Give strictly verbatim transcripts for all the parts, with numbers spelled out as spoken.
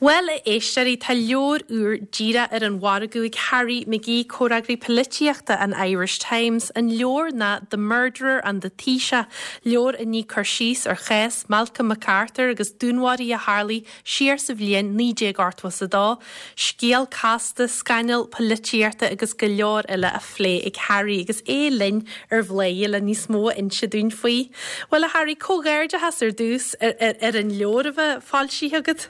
Bhuel a éisteoirí tá leabhar úr díreach ar an mhargadh ag Harry McGee comhfhreagraí polaitíochta an Irish Times, an leabhar ná The Murderer and the Taoiseach, leabhar a ní cur síos ar chás Malcolm MacArthur agus dúnmharuithe a tharla siar sa bhliain naoi déag ochtó a dó, scéal casta, scannal polaitíochta agus go leor eile á phlé ag Harry agus é linn ar Bhladhaire le níos mó a inse dúinn faoi. Bhuel a Harry comhghairdeachas ar dtús ar, ar, ar an leabhar a bheith foilsithe agat?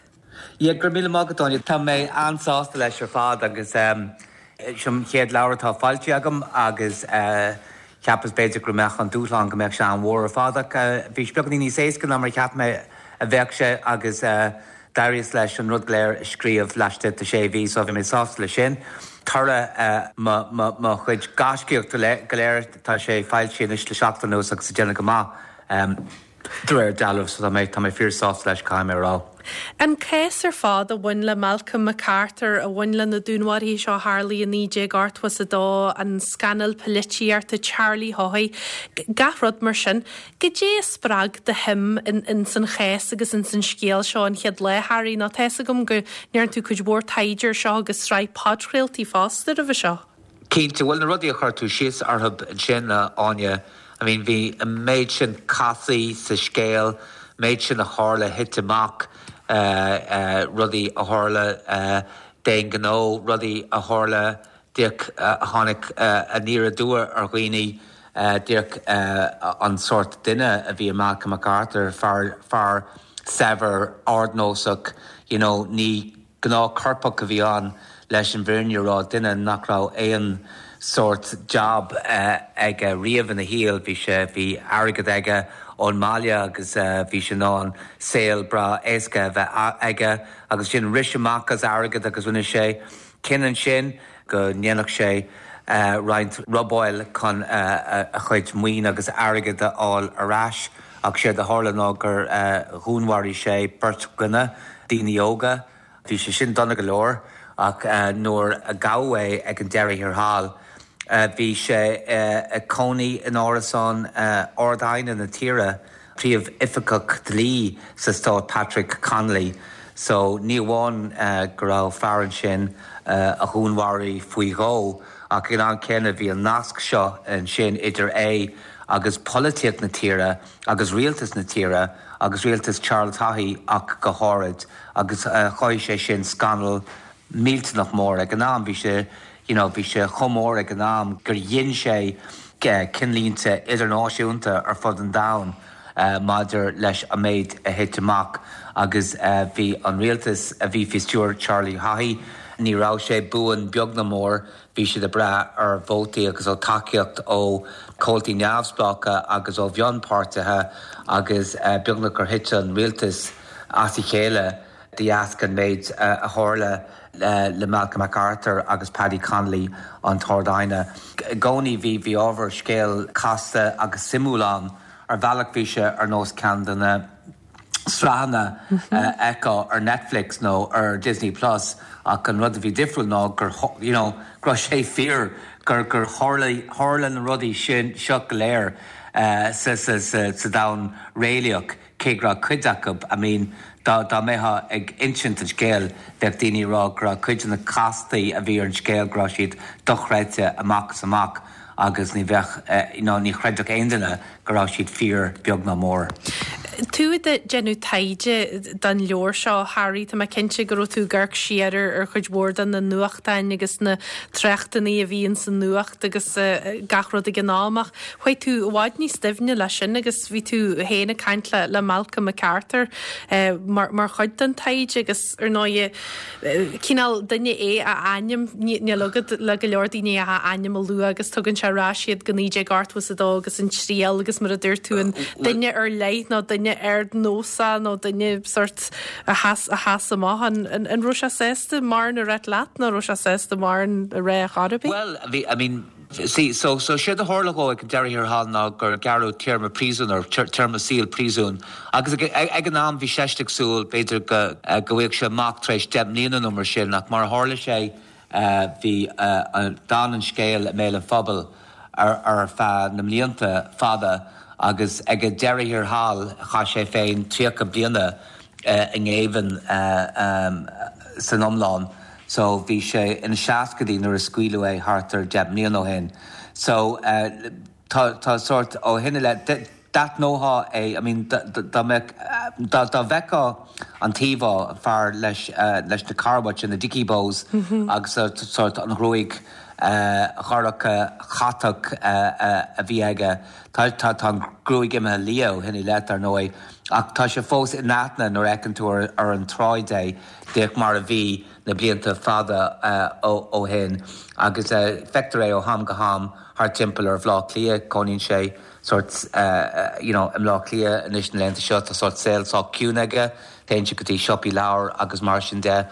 Ja gur mí mágadóine Tá mé an-sásta leis ar fad agus um, sin chéad leabhar atá foilsithe agam agus uh, cheapas b'fhéidir go mbeadh an dúshlán go mbeadh sé an-mhór ar fad ach uh, bhí sé beagáinín níos éasca ná mar cheap mé a bheadh sé agus uh, d'éiríos leis an rud go léir a scríobh laistigh de sé mhí so bhí mé sásta le sin. Toradh uh, mo chuid gaiscíochta go léir tá sé foilsithe anois le seachtain anuas agus déanamh go maith. Um, De réir dealraimh so tá mé tá mé fíorshásta leis caithfidh mé a rá. An cás ar fad a bhain le Malcolm MacArthur a bhain le na dúnmharuithe seo tharla naoi déag ochtó a dó an scannal polaitíochta Charlie Haughey, gach rud mar sin, Goidé a spreag do shuim in, in san chás agus in san scéal seo an chéad lá Harry nó tá a fhios agam go ndearna tú cuid mhór taighde seo agus sraith podchraoltaí fosta roimhe seo. Cinnte bhfuil na rudaí a chuir tú síos orthu sin Áine, I mean bhí an méid sin casaí sa scéal, méid sin a tharla thit amach uh, uh, rudaí a tharla uh, d'aon ghnó, rudaí a tharla díreach uh, tháinig uh, aniar aduaidh ar dhaoine uh, díreach uh, an sórt duine a bhí Malcolm MacArthur fear fear saibhir ardnósach you know, ní gnáthchoirpeach a bhí ann leis an bhfírinne a rá duine nach raibh aon sórt job uh, aige riamh ina shaol bhí sé bhí airgead aige ón mbaile agus uh, bhí sé an saol breá éasca bheith aige agus sin rith amach as airgead agus rinne sé cinneadh ansin go ndéanfadh sé uh, roinnt robáil chun uh, a chuid maoin agus airgead a fháil ar ais ach sé a tharla ná gur uh, dhúnmharaigh sé beirt dhuine daoine óga bhí sé sin dona go leor ach uh, nuair a gabhadh é ag an deireadh thiar thall. Uh, bhí sé uh, ag cónaí in árasán uh, Ard-Aighne na tíre príomhoifigeach dlí sa stát Patrick Connolly. So ní amháin uh, go raibh fear ansin uh, a dhúnmharaigh faoi dhó ach in an céanna bhí an nasc seo ansin idir é agus polaitíocht na tíre agus rialtas na tíre agus rialtas Charles Haughey ach go háirid agus uh, chruthaigh sé sin scannal millteanach mór ag an am bhí sé you know, bhí sé chomh mór ag an am gur dhein sé ceannlínte idirnáisiúnta ar fud an domhain uh, maidir leis an méid a thit amach agus uh, bhí an rialtas a bhí faoi stiúir Charlie Haughey, ní raibh sé buan beag ná mór bhí siad ag brath ar vótaí agus ó tacaíocht ó chomhaltaí neamhspleácha agus ó mhionpháirtithe agus uh, beagnach gur thit an rialtas as a chéile de dheasca an méid uh, a tharla uh, le Malcolm MacArthur agus Paddy Connolly an tArd-Aighne. I gcónaí bhí bhí ábhar scéal casta agus suimiúil ann ar bhealach bhí sé ar nós ceann de na sraitheanna uh, ar Netflix nó ar Disney Plus ach an rud a bhí difriúil ná gur you know, go raibh sé fíor gur gur tharla na rudaí sin seo go léir uh, sa, sa, sa, sa domhan réalaíoch cé go raibh cuid acu I mean, dá dá mbeifeá ag insint an scéil bheadh daoine ag rá go raibh cuid de na castaí a bhí ar an scéal go raibh siad dochreidte amach is amach agus ní bheadh eh, ná ní chreidfeadh aon duine go raibh siad fíor beag ná mór. Tú ag déanamh taighde don leabhar seo Harry Tá mé cinnte go raibh tú ag amharc siar ar chuid mhór de na nuachtáin agus na tráchtanna a bhíonn sa nuacht agus uh, gach rud ag an am ach. Chuaigh tú i bhfad níos doimhne leis sin agus bhí tú féin ag caint le, le Malcolm MacArthur uh, mar, mar chuid den taighde agus ar ndóigh uh, cineál duine é a ainm níl agad le go leor daoine a ainm a lua agus tugann sé ar ais iad go naoi déag ochtó a dó agus an triail agus mar a dúirt tú an duine ar leith nó duine ardnósach nó duine sórt a sheas a sheas amach an an, an raibh sé sásta mar a rá leat nó raibh sé sásta mar a rá Arabi? Well, bhí I mean See, so so sé a tharla ag an deireadh thiar thall ná gur gearradh téarma príosúin ar téarma saoil príosúin. Agus ag, ag an am bhí sé ag súil b'fhéidir go go bhfaigheadh sé amach tar éis deich mbliana nó mar sin ach mar a tharla sé bhí d'fhan an scéal i mbéal an phobail ar ar feadh na mblianta fada agus ag an deireadh thiar thall chaith sé féin tríocha bliana i ngéibheann san iomlán. So bhí sé ina seascaidí nuair a scaoileadh é thart ar deich mbliana ó shin. So tá tá sort ó shin i leith d'aithneofá é, I mean dá mbeadh dá dá bhfeicfeá an t-íomhá fear leis leis na carbait na dicky bows agus sort an ghruaig dhorcha chatach a bhí aige. Tá tá tá an ghruaig imithe liath ó shin i leith ar ndóigh, ach tá sé fós in aithne nuair a fheiceann tú ar ar an tsráid é, díreach mar a bhí na blianta fada ó ó shin agus feictear é ó ham go ham thart timpeall ar Bhaile Átha Cliath, cónaíonn sé sort you know i mBleá Cliath anois na laethanta seo tá sort saol sách ciúin aige, téann sé go dtí siopaí leabhar agus mar sin de.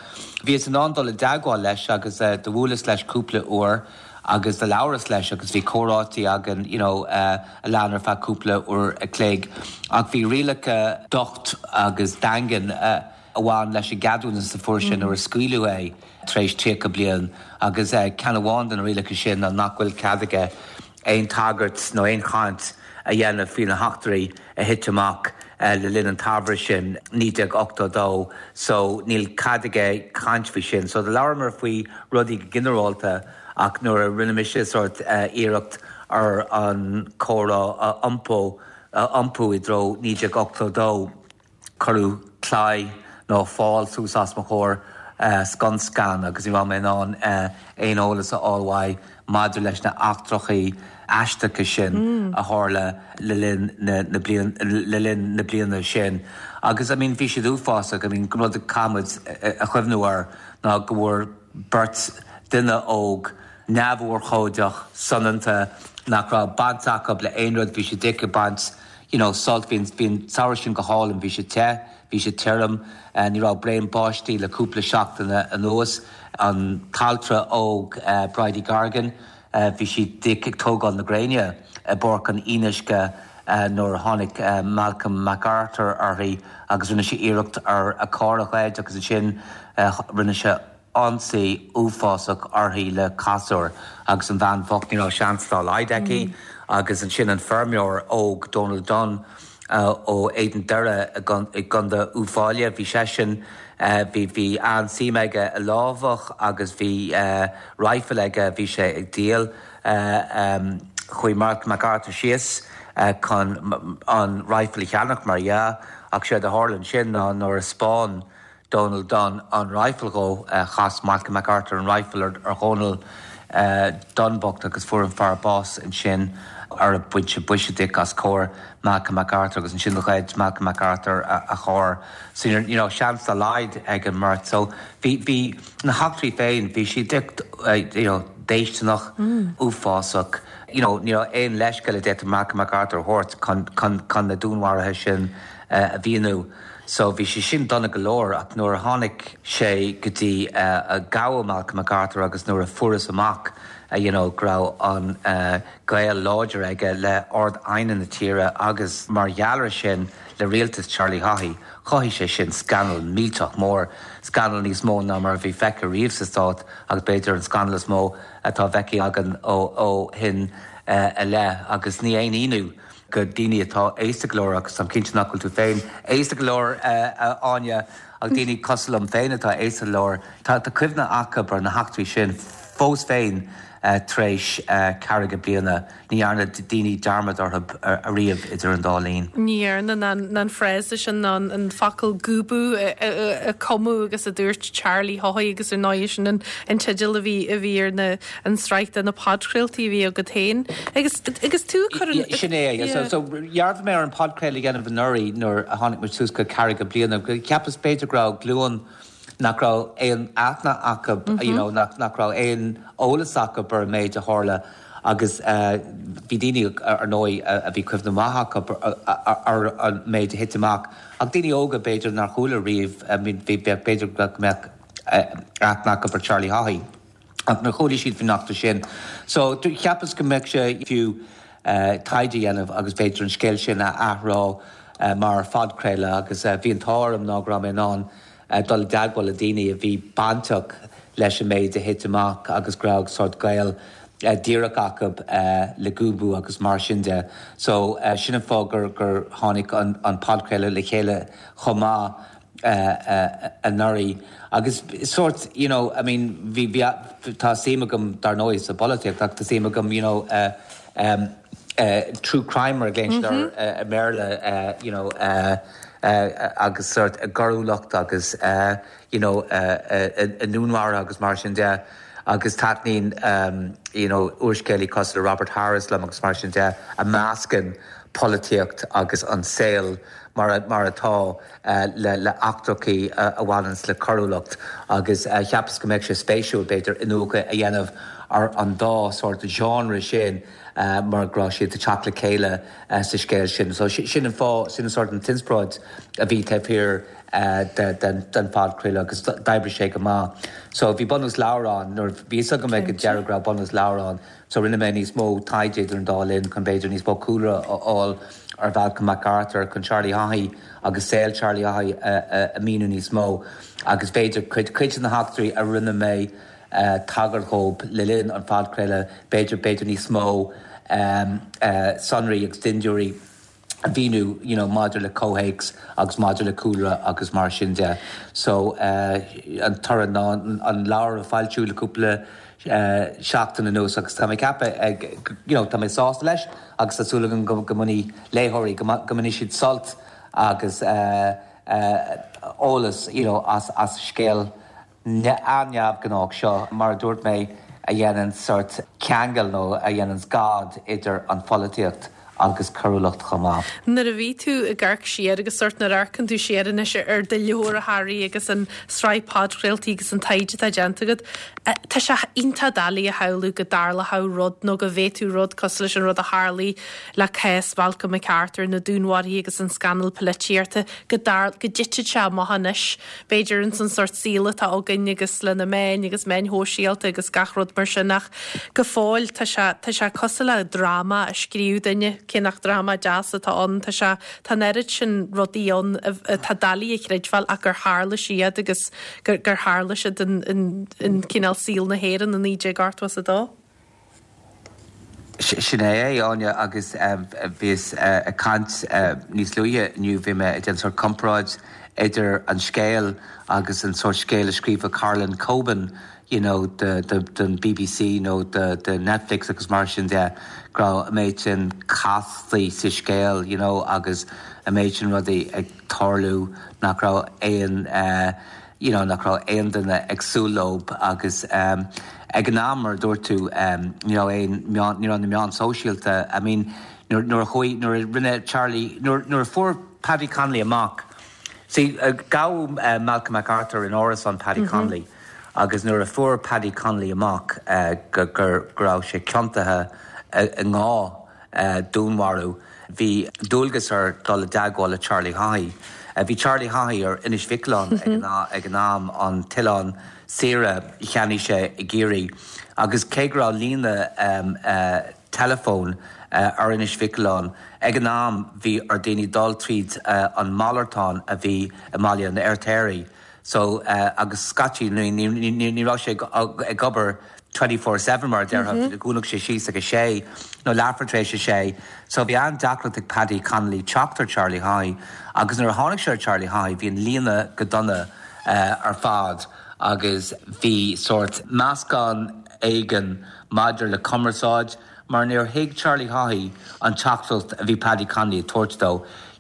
Bhíos in ann dul i dteagmháil leis agus do bhuaileas leis cúpla uair agus do labhras leis agus bhí comhráití againn you know a lean ar feadh cúpla uair a chloig ach bhí rialacha docht agus daingean a bhain leis an gceadúnas a fuair sé nuair a scaoileadh é tar éis tríocha bliain agus ceann amháin de na rialacha sin ná nach bhfuil cead aige aon tagairt nó aon chaint a dhéanamh faoi na heachtraí a thit amach le linn an tsamhraidh sin naoi déag ochtó dó so níl cead aige caint faoi sin. So do labhramar faoi rudaí go ginearálta ach nuair a rinne mise sort iarracht ar an comhrá a iompó a iompú i dtreo naoi déag ochtó dó cuireadh claí nó fál suas os mo chomhair scun scan agus ní raibh mé in ann aon eolas a fháil uaidh maidir leis na heachtraí aisteacha sin a tharla le linn na na bliain le linn na bliana sin. Agus I mean bhí siad uafásach, I mean rud a caithfimid a chuimhniú air ná go bhfuair beirt duine óg neamhurchóideach soineanta nach raibh baint acu le aon rud, bhí siad ag baint you know sult bhí bhí an samhradh sin go hálainn, bhí sé te, bhí sé tirim, ní raibh braon báistí le cúpla seachtain anuas, an t-altra óg Bridie Gargan, bhí sí ag tógáil na gréine i bPáirc an Fhionnuisce nuair a tháinig Malcolm MacArthur uirthi agus rinne sé iarracht ar a carr a ghoid agus ansin rinne sé ionsaí uafásach uirthi le casúr agus an bhean bhocht ní raibh seans dá laghad aici agus ansin an feirmeoir óg Donald Dunn ó Éadan Doire i gContae Uíbh Fhailí bhí seisean bhí bhí an-suim aige i lámhach agus bhí rifle aige bhí sé ag díol chuaigh Malcolm MacArthur síos chun an rifle a cheannach mar dhea ach séard a tharla ansin ná nuair a spáin Donald Dunn an rifle dhó chas Malcolm MacArthur an rifle ar ar Dhónal Dunn bocht agus fuair an fear bás ansin ar a bhain boise de as cor Malcolm MacArthur agus ansin ghoid Malcolm MacArthur a, a charr. So you know, seans dá laghad ag an mbeirt. So bhí bhí na heachtraí féin bhí siad you know, déistineach mm. uafásach. You know, ní raibh aon leithscéal a d'fhéadfadh Malcolm MacArthur a thabhairt chun, chun, chun na dúnmharuithe sin uh, a mhíniú. So bhí sé sin dona go leor ach nuair a tháinig sé go dtí uh, a gabhadh Malcolm MacArthur agus nuair a fuarthas amach uh, you know, go raibh an uh, gaol láidir aige le Ard-Aighne na tíre agus mar gheall air sin le rialtas Charlie Haughey. Chothaigh sé sin scannal millteach mór, scannal níos mó ná mar a bhí feicthe riamh sa stát agus b'fhéidir an scannal is mó atá feicthe againn ó ó shin uh, i leith agus ní aon ionadh go daoine atá aosta go leor agus táim cinnte nach bhfuil tú féin aosta go leor Áine ach daoine cosúil liom féin atá aosta go leor Tá tá cuimhne acu ar na heachtraí sin fós féin tar éis ceathracha bliana ní dhearna daoine dearmad orthu ariamh idir an dá linn. Ní dhearna an frása sin an an focal Gooboo a cumadh agus a dúirt Charlie Haughey agus ar ndóigh sin an an teideal a bhí a bhí ar na an sraith de na podchraoltaí a bhí agat féin agus agus tú chur Sin é so so dhearbhaigh mé ar an podchraoladh a dhéanamh anuraidh nuair a tháinig muid suas go ceathracha bliana cheapas b'fhéidir go raibh glúin nach raibh aon aithne acu you know, nach, nach raibh aon eolas acu ar an méid a tharla agus bhí daoine ar ndóigh a bhí cuimhne mhaith acu ar an méid a thit amach ach daoine óga b'fhéidir nár chuala riamh bhí b'fhéidir go mbeadh aithne acu ar Charlie Haughey. Ach nár chuala siad faoin eachtra sin. So cheapas go mbeadh sé fiú uh, taighde a dhéanamh agus b'fhéidir an scéal sin a athrá uh, mar phodchraoladh agus uh, bhí an t-ádh orm ná go raibh mé in ann uh, dul i dteagmháil le daoine a bhí bainteach leis an méid a thit amach agus go raibh sort gaol uh, díreach acu uh, le Gooboo agus mar sin de. So uh, sin an fáth gur gur tháinig an, an podchraoladh le chéile chomh maith anuraidh agus sort you know I mean bhí tá suim agam dar ndóigh sa bpolaitíocht ach tá suim agam you know uh, um, uh, true crime mar mm -hmm. uh, Béarla uh, you know uh, uh, agus sort a coiriúlacht agus uh, you know uh, uh, a dúnmharuithe agus mar sin de agus taitníonn um, you know úrscéalta cosúil le Robert Harris liom agus mar sin de a meascann polaitíocht agus an saol mar mar atá uh, le le eachtraí uh, a bhaineanns le coiriúlacht agus uh, cheapas go mbeadh sé spéisiúil b'fhéidir iniúchadh a dhéanamh ar an dá sort genre sin uh, mar go raibh siad ag teacht le chéile uh, sa scéal sin. So sin an fáth sin an sort an t-inspioráid a bhí taobh thiar uh, den phodchraoladh agus d'oibrigh sé go maith. So bhí bunús leabhair ann nuair bhí go mbeidh go deireadh go bunús leabhair ann, so rinne mé níos mó taighde an dá linn chun b'fhéidir níos mó cúlra a fháil ar Malcolm MacArthur chun Charlie Haughey agus saol Charlie Haughey a mhíniú níos mó agus b'fhéidir cuid cuid na heachtraí a rinne mé uh, tagairt dóibh le linn an phodchraoladh b'fhéidir b'fhéidir níos mó um, uh, sonraí agus dindiúirí a mhíniú you know, maidir le comhthéacs agus maidir le cúlra agus mar sin de. So uh, an toradh ná an leabhar a foilsíodh le cúpla uh, seachtain anuas agus tá mé ceaptha ag you know, tá mé sásta leis agus tá súil agam go go mbainfidh léitheoirí go mbainfidh siad sult agus uh, uh, eolas you know, as, as scéal an-neamhghnách seo mar a dúirt mé a dhéanann sort ceangal nó a dhéanann gad idir an pholaitíocht agus coiriúlacht chomh maith. Nuair a bhí tú ag amharc siar agus sort nuair a amharcann tú siar anois ar do leabhar a Harry agus an sraith podchraoltaí agus an taighde atá déanta agat. Tá sé iontach doiligh a shamhlú go dtarlódh rud nó go bhféadfadh rud cosúil leis an rud a tharla le cás Malcolm MacArthur na dúnmharuithe agus an scannal polaitíochta go dar go dtitfeadh sé amach anois. B'fhéidir an san sort saol atá againn agus le na meáin agus meáin shóisialta agus gach rud mar sin ach go fóill tá sé tá sé cosúil le dráma a scríobh duine cé nach dráma deas atá ann tá sé tá an oiread sin rudaí ann tá doiligh a chreidbheáil ach gur tharla siad agus gur gur tharla siad in in in cineál saol na hÉireann i naoi déag ochtó a dó. Sin é Áine agus bhíos ag caint níos luaithe inniu bhí mé ag déanamh sort comparáid idir an scéal agus an sort scéal a scríobh Harlan Coben you know, de, de, den BBC nó de, de Netflix agus mar sin de go raibh an méid sin castaí sa scéal you know, agus an méid sin rudaí ag tarlú nach raibh aon uh, you know, nach raibh aon duine ag súil leo agus um, ag an am mar dúirt tú um, ní raibh aon ní raibh na meáin sóisialta I mean nuair a chuaigh nuair a rinne Charlie nuair a fuair Paddy Connolly amach. See, uh, gabhadh uh, Malcolm MacArthur in árasán Paddy mm -hmm. Connolly agus nuair a fuair Paddy Connolly amach uh, go gur go raibh sé ciontaithe uh, i ndhá uh, dúnmharú bhí dualgas air dul i dteagmháil le Charlie Haughey. Uh, bhí Charlie Haughey ar Inis Mhic Aoláin ag ag an am an t-oileán saoire a cheannaigh sé i gCiarraí. agus cé go raibh líne um, uh, teileafóin uh, ar Inis Mhic Aoláin. Ag an am bhí ar daoine dul tríd uh, an malartán a bhí i mBaile an Fheirtéaraigh. So uh, agus scaití ní raibh sé ag obair twenty four seven mar deir mm -hmm. dhúnadh sé síos ag a sé nó leathuair tar éis a sé, so bhí an-deacracht ag Paddy Connolly teacht ar Charlie Haughey agus nuair a tháinig sé Charlie Haughey bhí an líne go dona uh, ar fad agus bhí sort meascán éigin maidir le cumarsáid mar níor thuig Charlie Haughey an teachtaireacht a bhí Paddy Connolly tabhairt dó.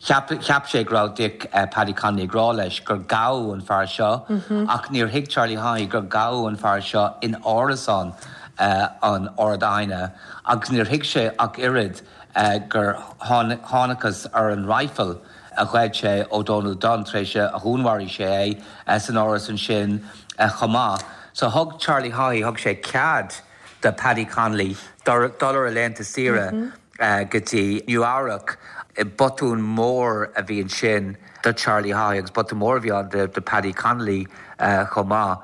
Cheap sé go raibh Dick uh, Paddy Connolly ag rá leis gur gabhadh an fear seo mm -hmm. ach níor thuig Charlie Haughey gur gabhadh an fear seo in árasán uh, an Ard-Aighne agus níor thuig sé ach oiread uh, gur thángthas ar an rifle a ghoid sé ó Donald Dunn tar éis a dhúnmharaigh sé é uh, san áras ansin uh, chomh maith. So thug Charlie Haughey thug sé cead do Paddy Connolly dul ar a laethanta saoire mm -hmm. uh, go dtí Nua-Eabhrac botún mór a bhí ansin do Charlie Haughey agus botún mór bhí ann do, do Paddy Connolly uh, chomh maith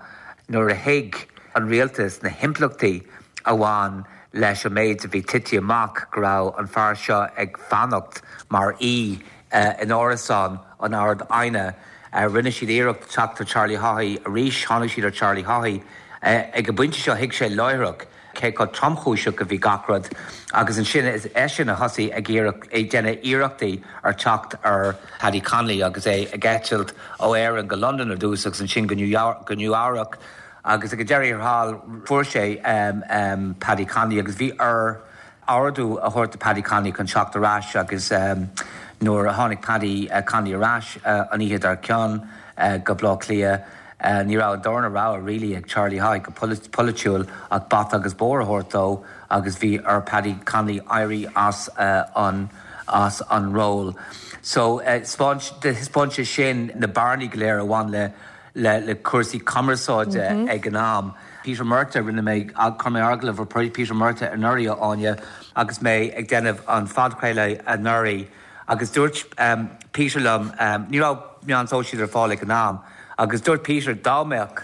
nuair a thuig an rialtas na himpleachtaí a bhain leis an méid a bhí tite amach go raibh an fear seo ag fanacht mar aoi uh, in árasán an Ard-Aighne. Uh, rinne siad iarracht teacht ar Charlie Haughey arís tháinig siad ar Charlie Haughey uh, ag an bpointe seo thuig sé láithreach cé chomh tromchúiseach a bhí gach rud agus ansin is eisean a thosaigh ag iarraidh ag déanamh iarrachtaí ar teacht ar Paddy Connolly agus é ag eitilt ó Éirinn go Londain ar dtús agus ansin go go Nua-Eabhrac agus ag an deireadh thall fuair sé um, um, Paddy Connolly agus bhí air ordú a thabhairt do Paddy Connolly chun teacht ar ais agus um, nuair a tháinig Paddy uh, Connolly ar ais uh, an oíche dár gcionn uh, go Baile Átha Cliath. Uh, ní raibh an darna rogha really ag Charlie Haughey go polaitiúil ach bata agus bord a thabhairt dó agus bhí ar Paddy Connolly éirí as uh, an as an ról. So uh, thaispeáin sé sin na bearnaí go léir a bhain le le, le cúrsaí cumarsáide mm -hmm. ag an am. Peter Murtagh rinne mé chuir mé agallamh ar Peter Murtagh anuraidh Áine agus mé ag déanamh an phodchraoladh anuraidh agus dúirt um, Peter liom um, ní raibh meáin shóisialta ar fáil ag an am agus dúirt Peter dá mbeadh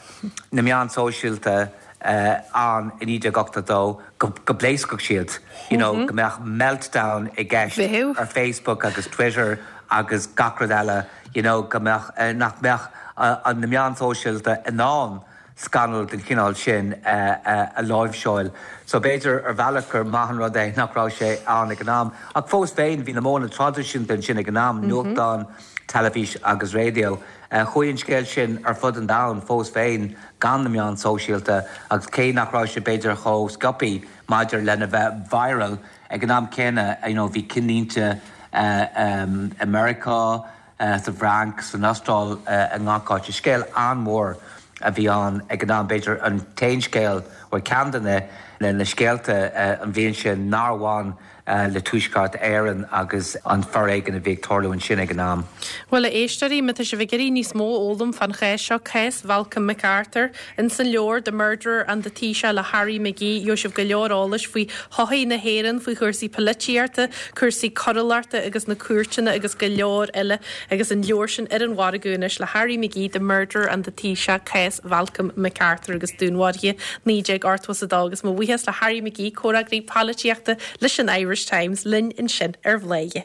na meáin shóisialta uh, ann i naoi déag ochtó dó go, go bpléascfadh siad you know, mm -hmm. go mbeadh meltdown i gceist ar Facebook agus Twitter agus gach rud eile you know, go mbeadh uh, nach mbeadh uh, an na meáin shóisialta in ann scannal den chineál sin uh, uh, a láimhseáil. So b'fhéidir ar bhealach gur maith an rud é nach raibh sé ann ag an am. Ach fós féin bhí na modhanna traidisiúnta ansin ag an am mm -hmm. nuachtán, teilifís agus raidió. Uh, Chuaigh an scéal sin ar fud an domhain fós féin gan na meáin shóisialta agus cé nach raibh sé b'fhéidir chomh sciobtha maidir lena bheith viral ag an am céanna you know, bhí cinnlínte uh, um, America, uh, sa bhFrainc, san Astráil uh, i ngach áit. Scéal an-mhór a bhí ann ag an am b'fhéidir an t-aon scéal ó ceann de na na scéalta uh, an bhliain sin nár bhain uh, le Tuaisceart Éireann agus an foréigean a bhí ag tarlú ansin ag an am. Well a éisteoirí má tá sibh ag iarraidh níos mó a fhoghlaim fán chás seo cás Malcolm MacArthur in san leabhar The Murderer and the Taoiseach le Harry McGee gheobhaidh sibh go leor eolais faoi shochaí na hÉireann faoi chúrsaí polaitíochta, cúrsaí coiriúlachta agus na cúirteanna agus go leor eile agus an leabhar sin ar an mhargadh anois le Harry McGee The Murderer and the Taoiseach cás Malcolm MacArthur agus dúnmharuithe naoi déag ochtó a dó agus mo bhuíochas le Harry McGee comhfhreagraí polaitíochta leis an Irish Times linn ansin ar Bhladhaire.